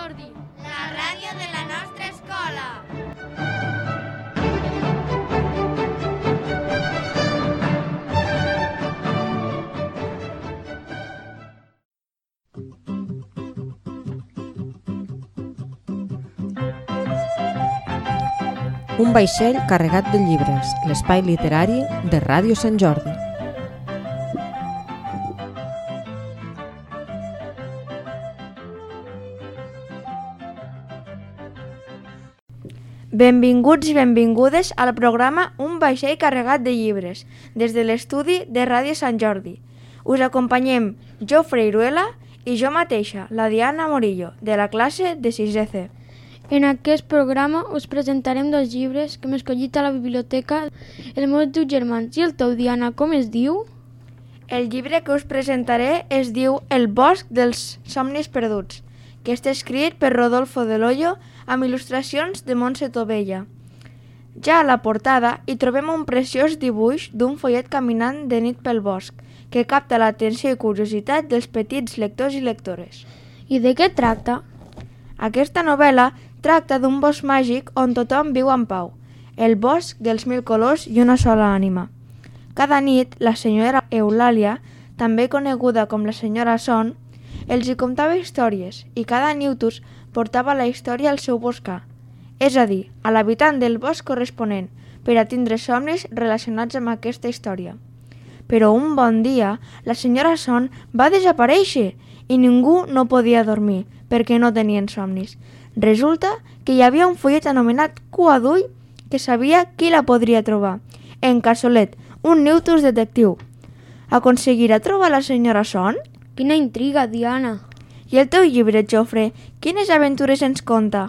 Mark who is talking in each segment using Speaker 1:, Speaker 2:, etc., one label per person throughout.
Speaker 1: Jordi, la ràdio de la nostra escola.
Speaker 2: Un vaixell carregat de llibres, l'espai literari de Ràdio Sant Jordi.
Speaker 3: Benvinguts i benvingudes al programa Un vaixell carregat de llibres, des de l'estudi de Ràdio Sant Jordi. Us acompanyem Jofre Iruela i jo mateixa, la Diana Morillo, de la classe de 6è C.
Speaker 4: En aquest programa us presentarem dos llibres que hem escollit a la biblioteca. Els meus dos germans i el teu, Diana, com es diu?
Speaker 3: El llibre que us presentaré es diu El bosc dels somnis perduts, que està escrit per Rodolfo Del Hoyo amb il·lustracions de Montse Tovella. Ja a la portada hi trobem un preciós dibuix d'un follet caminant de nit pel bosc, que capta l'atenció i curiositat dels petits lectors i lectores.
Speaker 4: I de què tracta?
Speaker 3: Aquesta novel·la tracta d'un bosc màgic on tothom viu en pau, el bosc dels 1000 colors i una sola ànima. Cada nit, la senyora Eulàlia, també coneguda com la senyora Son, els hi contava històries i cada Newtus portava la història al seu boscar, és a dir, a l'habitant del bosc corresponent, per a tindre somnis relacionats amb aquesta història. Però un bon dia, la senyora Son va desaparèixer i ningú no podia dormir perquè no tenien somnis. Resulta que hi havia un follet anomenat Cua d'Ull que sabia qui la podria trobar. En Cassolet, un Newtus detectiu. Aconseguirà trobar la senyora Son?
Speaker 4: Quina intriga, Diana!
Speaker 3: I el teu llibre, Jofre, quines aventures ens conta?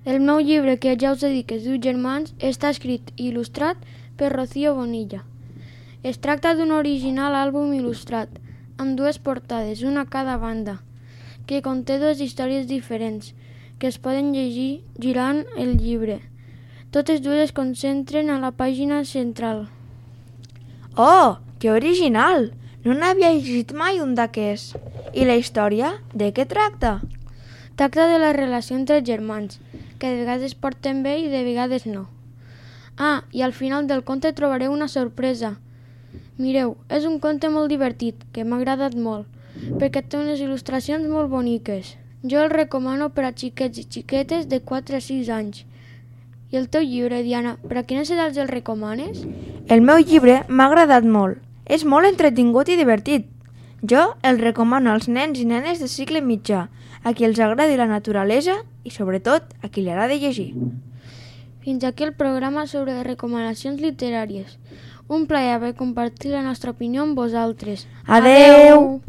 Speaker 4: El meu llibre, que ja us he dit que es diu Germans, està escrit i il·lustrat per Rocío Bonilla. Es tracta d'un original àlbum il·lustrat, amb dues portades, una a cada banda, que conté dues històries diferents, que es poden llegir girant el llibre. Totes dues es concentren a la pàgina central.
Speaker 3: Oh, que original! No n'havia llegit mai un d'aquests. I la història, de què tracta?
Speaker 4: Tracta de la relació entre els germans, que de vegades porten bé i de vegades no. Ah, i al final del conte trobareu una sorpresa. Mireu, és un conte molt divertit, que m'ha agradat molt, perquè té unes il·lustracions molt boniques. Jo el recomano per a xiquets i xiquetes de 4 a 6 anys. I el teu llibre, Diana, per a quines edats el recomanes?
Speaker 3: El meu llibre m'ha agradat molt. És molt entretingut i divertit. Jo el recomano als nens i nenes de cicle mitjà, a qui els agradi la naturalesa i, sobretot, a qui li agrada llegir.
Speaker 4: Fins aquí el programa sobre recomanacions literàries. Un plaer haver compartit la nostra opinió amb vosaltres.
Speaker 3: Adeu!